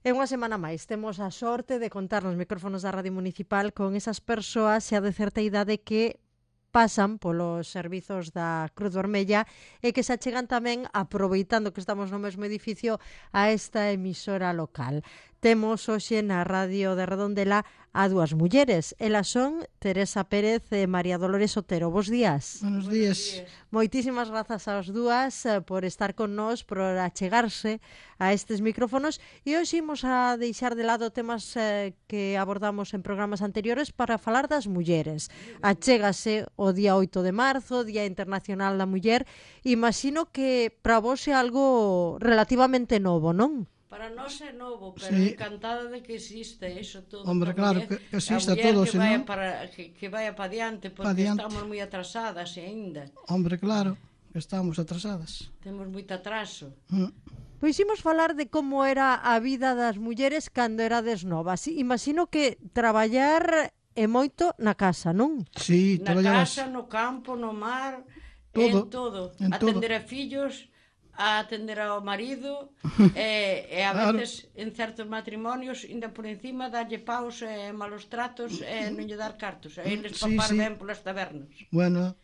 E unha semana máis temos a sorte de contar nos micrófonos da Radio Municipal con esas persoas xa de certa idade que pasan polos servizos da Cruz Vermella e que se achegan tamén, aproveitando que estamos no mesmo edificio, a esta emisora local. Temos hoxe na Radio de Redondela a dúas mulleres. Elas son Teresa Pérez e María Dolores Otero. Bos días. Buenos días. Moitísimas grazas ás dúas por estar con nós, por achegarse a estes micrófonos, e hoxe imos a deixar de lado temas que abordamos en programas anteriores para falar das mulleres. Achégase o día 8 de marzo, Día Internacional da Muller. Imagino que para vos é algo relativamente novo, non? Para nós é novo, pero Sí. encantada de que existe eso todo. Hombre, claro, que exista a muller todo, que senón- vaya que vaya para diante, porque diante. estamos moi atrasadas aínda. Hombre, claro, estamos atrasadas. Temos moito atraso. Pois imos falar de como era a vida das mulleres cando erades novas. Imagino que traballar é moito na casa, non? Sí, Na traballabas. casa, no campo, no mar, Todo, en todo. Atender a fillos, a atender ao marido, e a Claro. veces en certos matrimonios ainda por encima darlle paus e malos tratos e non lle dar cartos. E eles Sí, papar sí. ben polas tabernas. Bueno,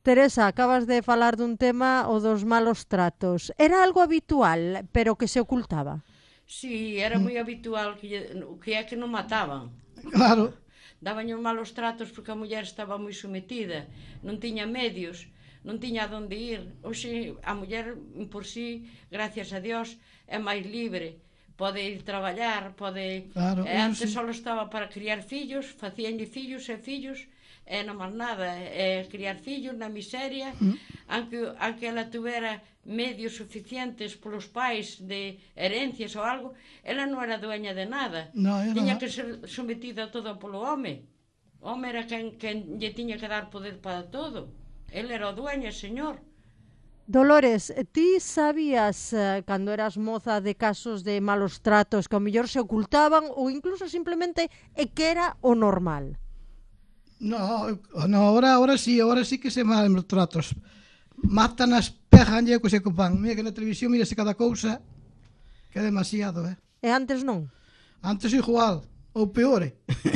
Teresa, acabas de falar dun tema, o dos malos tratos. Era algo habitual, pero que se ocultaba. Sí, era moi habitual o que é que non mataban. claro, Daban os malos tratos porque a muller estaba moi sometida, non tiña medios, non tiña onde ir. Hoxe a muller por sí, gracias a Dios, é máis libre. Pode ir traballar, pode... Claro, E antes sí. só estaba para criar fillos, facíanlle fillos e fillos, e non máis nada, e criar fillos na miseria, aunque ela tuvera medios suficientes polos pais de herencias ou algo, ela non era dueña de nada. No, era Tiña nada. que ser sometida todo polo home. O home era quen lle tiña que dar poder para todo. El era o dueño, señor. Dolores, ti sabías, cando eras moza, de casos de malos tratos que ao mellor se ocultaban ou incluso simplemente é que era o normal? no, ahora sí que se mal tratos. Mátanas, pejanlle co se copan. Mira que na televisión mírase cada cousa, que é demasiado, E antes non? Antes igual, ou peor,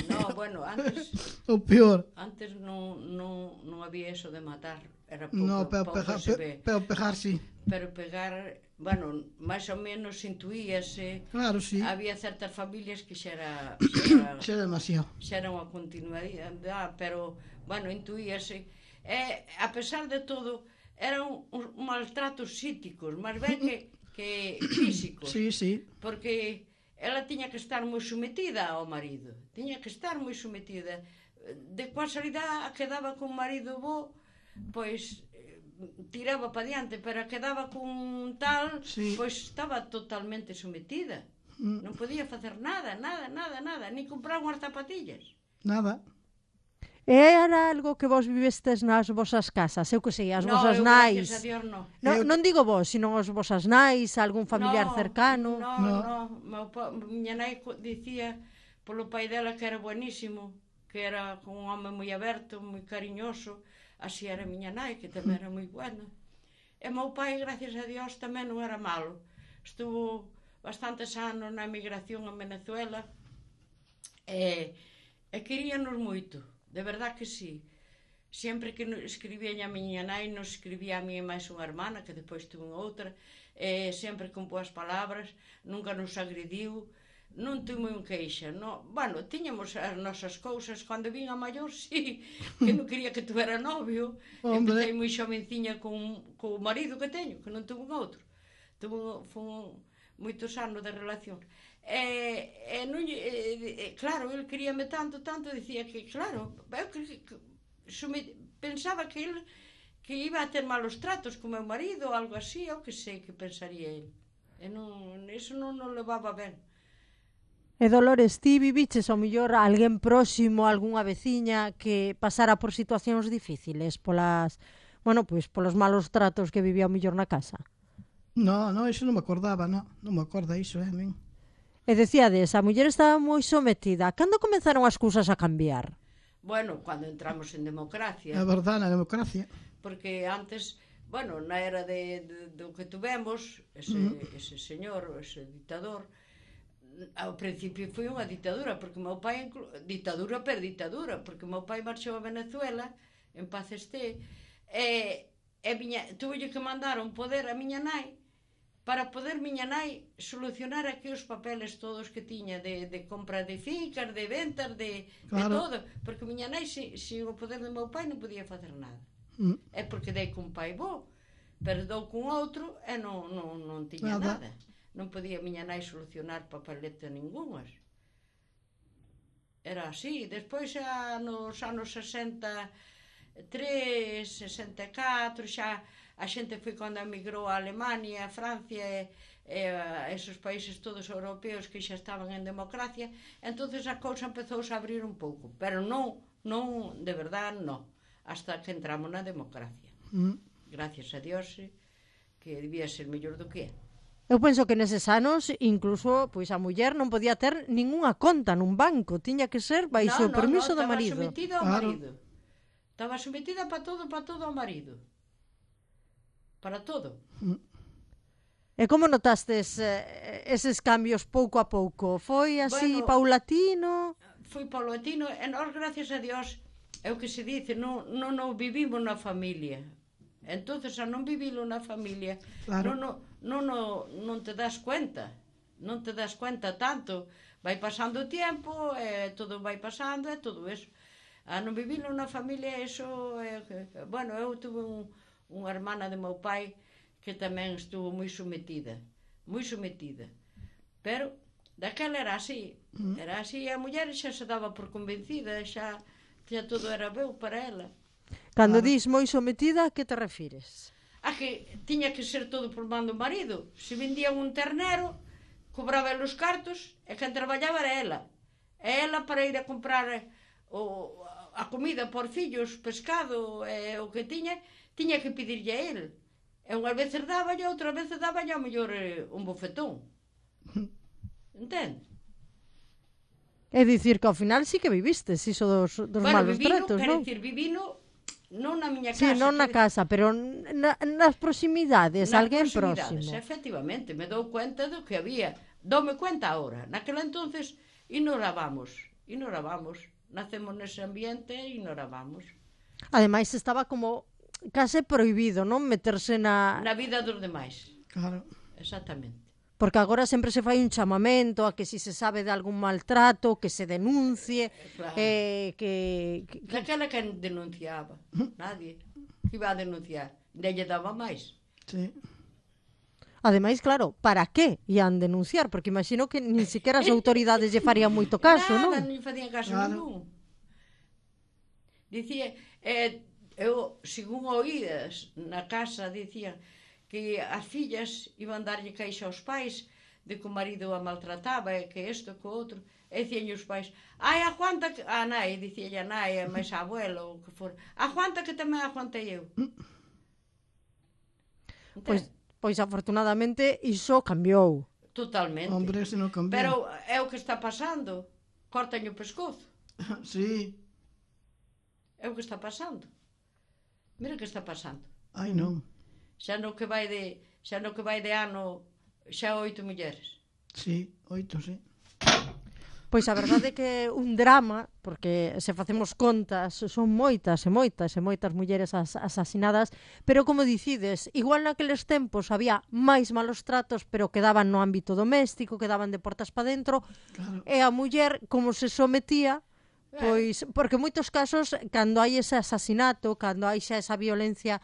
No, bueno, antes ou peor. non había eso de matar. Era No, pouco se ve. pero pegar sí. Pero pegar, bueno, máis ou menos intuíase. Claro, sí. Había certas familias que xa era Xa é demasiado. xa era unha continuidade, pero, bueno, intuíase. E, a pesar de todo, eran uns maltratos psíquicos, máis ben que físicos. Sí, sí. Porque ela tiña que estar moi sometida ao marido. Tiña que estar moi sometida. De casualidade, quedaba con marido bo, pois tiraba para diante, pero quedaba con tal, Sí. pois estaba totalmente sometida. Non podía facer nada, ni comprar unhas zapatillas. Nada. E era algo que vos vivestes nas vosas casas? Eu que sei, as vosas nais. Gracias a Dios, no. Non digo vos, sino as vosas nais, algún familiar cercano. Miña nai dicía polo pai dela que era buenísimo, que era un home moi aberto, moi cariñoso. Así era miña nai, que tamén era moi buena. E meu pai, gracias a Dios, tamén non era malo. Estuvo bastantes anos na emigración en Venezuela e queríanos moito, de verdad que sí. Sempre que escribía a miña nai, nos escribía a mí e máis unha hermana, que depois tuve outra, sempre con boas palabras, nunca nos agrediu, non tuve un queixa, no. Bueno, tiñamos as nosas cousas, cando vin a maior, sí, que non quería que tuvera novio. Hombre. Empecé moi xovenciña con o marido que teño, que non tuve un outro. Fun moitos anos de relación. Claro, ele queríame tanto, dicía que, claro, pensaba que ele que iba a ter malos tratos con meu marido ou algo así, eu que sei que pensaría ele. E non, eso non nos levaba ben. E Dolores, ti viviches ao mellor alguén próximo, algunha veciña que pasara por situacións difíciles polas, bueno, pois polos malos tratos que vivía ao mellor na casa? No, eso non me acordaba, non me acorda iso, min. E decíades, a muller estaba moi sometida. Cando comenzaron as cousas a cambiar? Bueno, cando entramos en democracia. É verdade, na democracia. Porque antes, bueno, na era do que tuvemos, ese señor, ese dictador, Ao principio foi unha ditadura, porque meu pai ditadura, porque meu pai marchou a Venezuela, en paz este, e tuve que mandar un poder a miña nai para poder miña nai solucionar aquí os papeles todos que tiña de compra de fincas, de ventas, de todo, porque miña nai sin o poder do meu pai non podía facer nada. É porque dei cun pai bo, pero dou cun outro e non tiña nada. Non podía miña nai solucionar papeleta ningunhas. Era así. Despois, nos anos 63, 64, xa a xente foi cando emigrou a Alemania, a Francia e esos países todos europeos que xa estaban en democracia, entonces a cousa empezouse a abrir un pouco, pero non, de verdad, non, hasta que entramos na democracia. Gracias a Dios, que debía ser mellor do que é. Eu penso que neses anos, incluso, pois a muller non podía ter ningunha conta nun banco, tiña que ser baixo o permiso do marido. Estaba sometida ao marido. Estaba sometida para todo ao marido. Para todo. E como notastes eses cambios pouco a pouco? Foi así paulatino? Foi paulatino e nós, gracias a Dios, é o que se dice, non vivimos na familia. Entonces, a non vivilo na familia, non te das cuenta. Non te das cuenta tanto. Vai pasando o tempo, todo vai pasando, e todo eso. A non vivilo na familia, eso... Bueno, eu tuve unha hermana de meu pai que tamén estuvo moi sometida. Pero, daquela era así. Era así, e a muller xa se daba por convencida, xa todo era veu para ela. Cando dis moi sometida, a que te refires? A que tiña que ser todo por man do marido. Se vendían un ternero, cobraba os cartos, e quen traballaba era ela. E ela, para ir a comprar a comida por fillos, pescado, o que tiña que pedirlle a ele. E unhas veces dáballe, outras veces dáballe ao mellor un bofetón. Entende? É dicir que ao final sí que vivistes iso dos malos tratos, non? Quero dicir, vivino non na miña casa. Sí, non na casa, pero nas proximidades, alguén próximo. Efectivamente, me dou cuenta do que había. Doume cuenta agora. Naquela entonces ignorábamos. Nacemos nese ambiente e ignorábamos. Ademais, estaba como case prohibido, non? Meterse na vida dos demais. Claro. Exactamente. Porque agora sempre se fai un chamamento a que si se sabe de algún maltrato, que se denuncie, claro. Daquela quen denunciaba? Nadie. Que iba a denunciar? Delle daba máis. Sí. Ademais, claro, para que ian denunciar? Porque imagino que nin siquiera as autoridades lle farían moito caso, non? Nada, nin facían caso ningún. Dicía, eu, según oídas na casa, dicían que as fillas iban darlle queixa aos pais de que o marido a maltrataba e que isto, que o outro, e dicían os pais, aguanta que... A nai, dicíalle a nai, a máis a abuela, ou que for, aguanta que tamén aguantei eu. Pois afortunadamente iso cambiou. Totalmente. Hombre, se non cambiou. Pero é o que está pasando. Cortaño o pescozo. Sí. É o que está pasando. Mira o que está pasando. Ai, non. Xa no que vai de ano, xa 8 mulleres. Sí, 8, sí. Pois a verdade é que é un drama, porque se facemos contas, son moitas mulleres asasinadas, pero como dicides, igual naqueles tempos había máis malos tratos, pero quedaban no ámbito doméstico, quedaban de portas para dentro, claro. E a muller, como se sometía, pois, porque en moitos casos, cando hai ese asasinato, cando hai xa esa violencia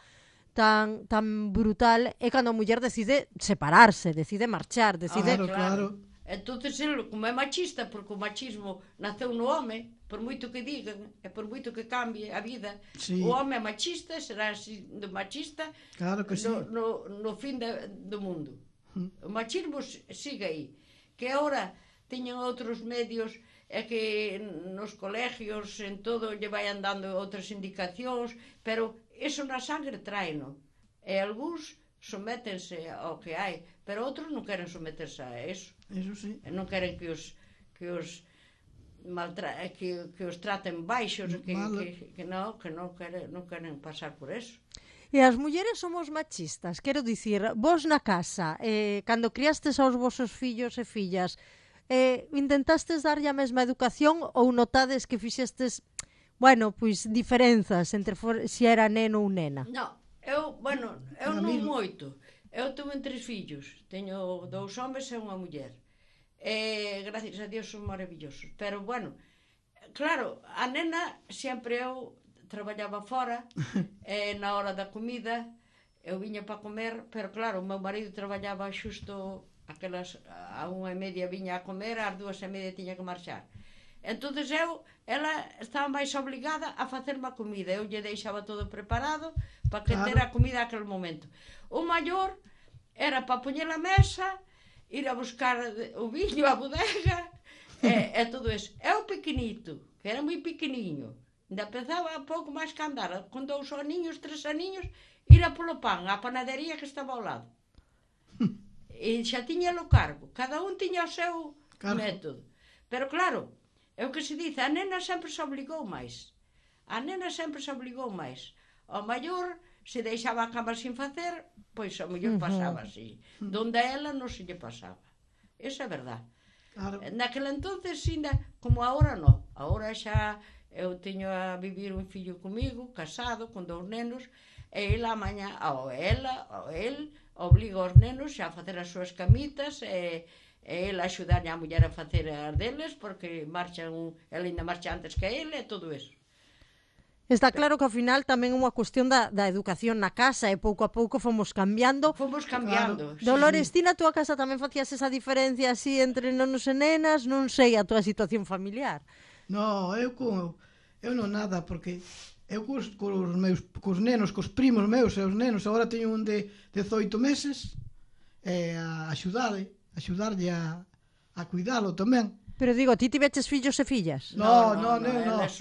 tan brutal, é cando a muller decide separarse, decide marchar, decide... Claro. Entonces, como é machista, porque o machismo naceu no home, por moito que digan, e por moito que cambie a vida, sí. O home é machista, será así de machista, claro que sí. No fin do mundo. O machismo sigue aí. Que agora teñen outros medios, é que nos colegios, en todo, lle vayan dando outras indicacións, pero eso na sangre traeno. E algúns sométense ao que hai, pero outros non queren someterse a eso. Eso sí. E non queren que os traten baixos, que non queren pasar por eso. E as mulleres somos machistas, quero dicir, vos na casa, cando criastes aos vosos fillos e fillas, Intentastes darlle a mesma educación ou notades que fixestes, bueno, pois diferenzas entre se era neno ou nena? Non, eu non moito. Eu tuve 3 fillos. Teño 2 homes e unha muller. Gracias a Dios son maravillosos. Pero, bueno, claro, a nena sempre eu traballaba fora, na hora da comida, eu viña para comer, pero claro, o meu marido traballaba xusto aquelas a 1:30 viña a comer, ás 2:30 tiña que marchar. Entonces ela estaba máis obligada a facerme a comida. Eu lle deixaba todo preparado para que ter a comida aquel momento. O maior era para poñer a mesa, ir a buscar o viño, a bodega, e todo eso. E o pequenito, que era moi pequeniño, ainda empezaba pouco máis que andar, con 2 aniños, 3 aniños, ir a polo pan, á panadería que estaba ao lado. E xa tiña o cargo. Cada un tiña o seu método. Pero claro, é o que se dice, a nena sempre se obligou máis. A nena sempre se obligou máis. O maior, se deixaba a cama sin facer, pois o mellor pasaba así. Donde a ela non se lle pasaba. Esa é verdad. Claro. Naquela entonces, como agora non. Agora xa eu teño a vivir un fillo comigo, casado, con 2 nenos, e ela mañá, el obliga os nenos xa a facer as súas camitas e el axudarlle a muller a facer as deles porque ela ainda marcha antes que ele e todo eso. Está claro que ao final tamén é unha cuestión da educación na casa e pouco a pouco fomos cambiando. Claro. Dolores, ti na túa casa tamén facías esa diferencia así entre nenos e nenas? Non sei a túa situación familiar. No, eu non nada, porque eu cos nenos, cos primos meus e os nenos, agora teño un de 18 meses, a axudarlle a cuidalo tamén. Pero digo, ti tiveches fillos e fillas? No.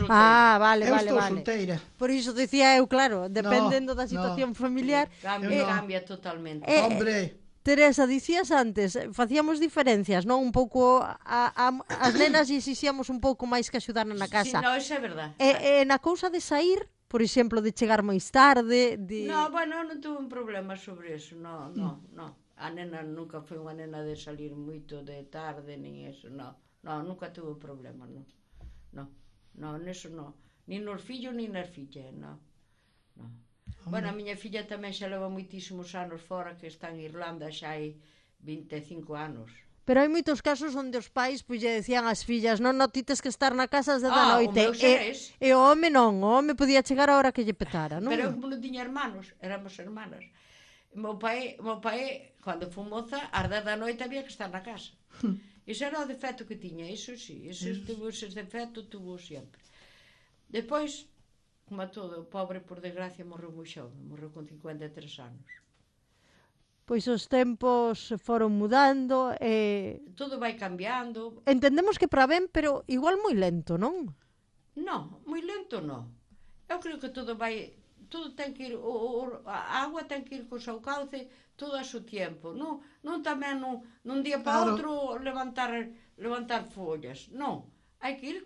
Vale. Eu estou solteira. Por iso dicía eu, claro, dependendo da situación familiar. Cambia totalmente. Hombre, Teresa, dicías antes, facíamos diferencias, non? Un pouco as nenas exixíamos un pouco máis que axudar na casa. Sí, no, eso é verdad. Na cousa de sair, por exemplo, de chegar máis tarde, No, bueno, non tuve un problema sobre eso, no. A nena nunca foi unha nena de salir moito de tarde, nin eso, no, nunca tuve problema, no, neso no. Nin nos fillos, nin nas fillas, no. Bueno, a miña filla tamén xa leva moitísimos anos fora, que está en Irlanda, xa hai 25 anos. Pero hai moitos casos onde os pais pois lle decían ás fillas, non, ti tes que estar na casa ás 10 da noite. E o home non, o home podía chegar a hora que lle petara, non? Pero eu como non tiña hermanos, éramos hermanas. Meu pai, cando foi moza, ás 10 da noite había que estar na casa. Iso era o defecto que tiña, iso sí, ese defecto tuvo sempre. Depois, como a todo, o pobre, por desgracia, morreu moi xove, morreu con 53 anos. Pois os tempos foron mudando e... Todo vai cambiando. Entendemos que para ben, pero igual moi lento, non? Non, moi lento non. Eu creo que todo ten que ir, a agua ten que ir co seu cauce todo a seu tempo. Non tamén nun día para outro levantar follas. Non, hai que ir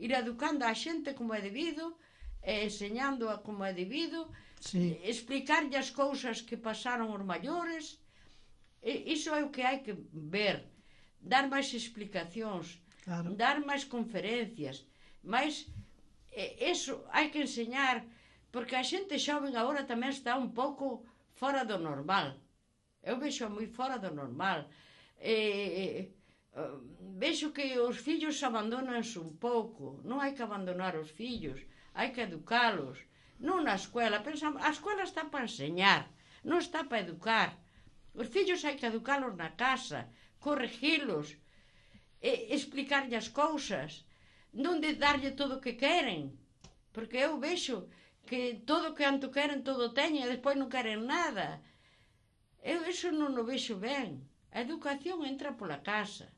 ir educando a xente como é debido, enseñando a como é debido, explicarlle as cousas que pasaron os maiores. Iso é o que hai que ver, dar máis explicacións, dar máis conferencias, máis eso hai que enseñar, porque a xente xoven agora tamén está un pouco fora do normal. Eu vexo moi fora do normal. Vexo que os fillos abandonanse un pouco. Non hai que abandonar os fillos, hai que educalos. Non na escuela, a escuela está para enseñar, non está para educar. Os fillos hai que educalos na casa, corregilos, explicarlle as cousas, non de darlle todo o que queren, porque eu vexo que todo o que anto queren, todo teñen, e despois non queren nada. Eu iso non o vexo ben. A educación entra pola casa.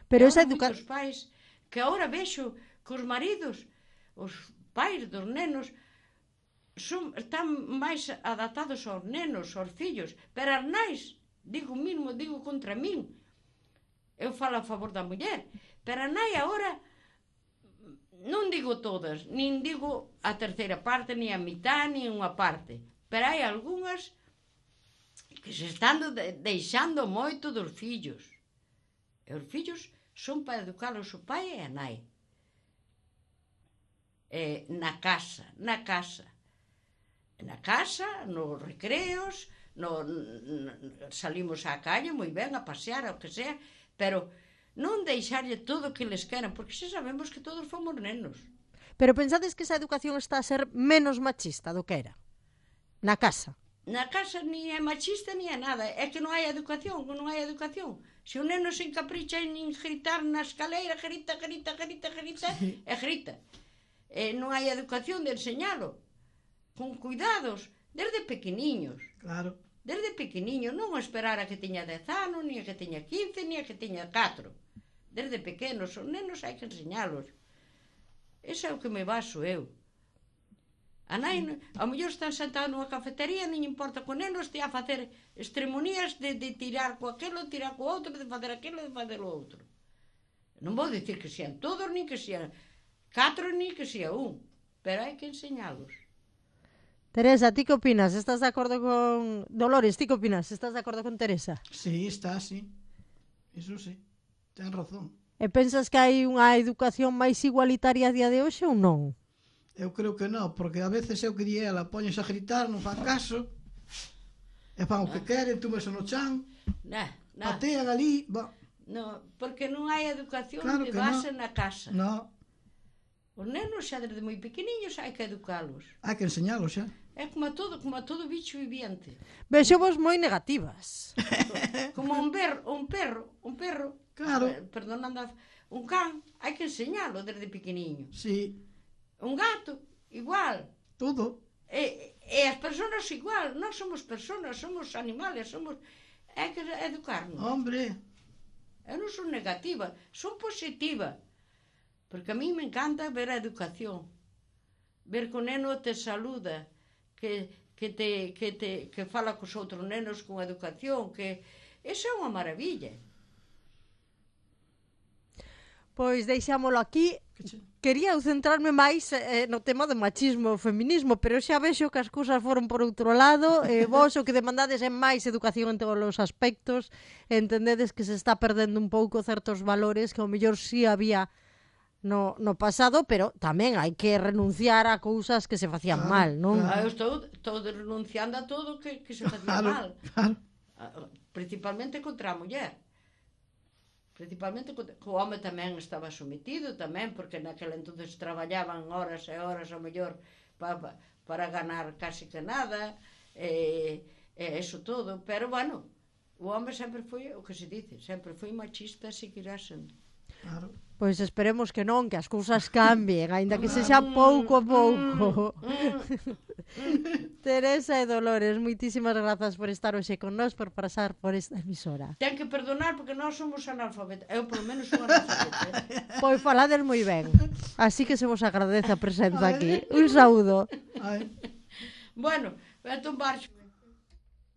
Pero esa moitos pais que agora vexo que os maridos, os pais dos nenos, están máis adaptados aos nenos, aos fillos, pero as nais, digo contra min, eu falo a favor da muller, pero a nai agora, non digo todas, nin digo a terceira parte, nin a mitad, nin unha parte, pero hai algunhas que se están deixando moito dos fillos. E os fillos son para educalos o pai e a nai. Na casa, nos recreos, salimos á calle moi ben a pasear, o que sea, pero non deixarlle todo o que les queran, porque xa sabemos que todos fomos nenos. Pero pensades que esa educación está a ser menos machista do que era? Na casa? Na casa ni é machista ni é nada, é que non hai educación, Se o neno se encapricha en gritar na escaleira, grita, sí. E grita. Non hai educación de enseñalo, con cuidados, desde pequeniños. Claro. Desde pequeniño, non esperar a que teña 10 anos, ni a que teña 15, ni a que teña 4. Desde pequenos, os nenos hai que enseñalos. Ese é o que me baso eu. A nai, ao mellor están sentados nunha cafetería, non importa que o neno estea a facer extremonías de tirar co aquelo, tirar co outro, de facer aquilo, de facer o outro. Non vou dicir que sean todos, nin que sean 4, nin que sea 1, pero hai que enseñalos. Teresa, ti que opinas? Estás de acordo con... Dolores, ti que opinas? Estás de acordo con Teresa? Sí, está, sí. Iso sí, ten razón. E pensas que hai unha educación máis igualitaria a día de hoxe ou non? Eu creo que non, porque a veces eu que di ela, poñes a gritar, non fan caso, e fan o que queren, túmese no chan, patean ali, No, porque non hai educación claro de base na casa. No. Os nenos xa desde moi pequeniños hai que educalos. Hai que enseñalos xa. É como a todo bicho viviente. Vexo vos moi negativas. Como un perro, claro. Perdonando, un can, hai que enseñalo desde pequeniño. Sí. Un gato, igual. Todo. E as persoas igual, non somos persoas, somos animales, hai que educarnos. Hombre. Eu non son negativa, son positiva. Porque a mí me encanta ver a educación. Ver que o neno te saluda, que fala cos outros nenos con educación, que eso é unha maravilla. Pois deixámolo aquí. Quería centrarme máis no tema do machismo e feminismo, pero xa vexo que as cousas foron por outro lado. Vos o que demandades é máis educación en todos os aspectos. Entendedes que se está perdendo un pouco certos valores que ao mellor sí había no pasado, pero tamén hai que renunciar a cousas que se facían mal, non? Eu estou renunciando a todo que se facía mal. Principalmente contra a muller. Principalmente que o home tamén estaba sometido tamén, porque naquela entonces traballaban horas e horas ao mellor para ganar casi que nada, eso todo, pero bueno, o home sempre foi o que se dice, sempre foi machista, seguirá sendo. Claro. Pois esperemos que non, que as cousas cambien, aínda que sexa pouco a pouco. Teresa e Dolores, moitísimas grazas por estar hoxe con nós, por pasar por esta emisora. Ten que perdonar porque nós somos analfabetas. Eu, polo menos, son analfabeta. Pois falades moi ben. Así que se vos agradece a presenza aquí. Un saúdo. Bueno, vete un barxo.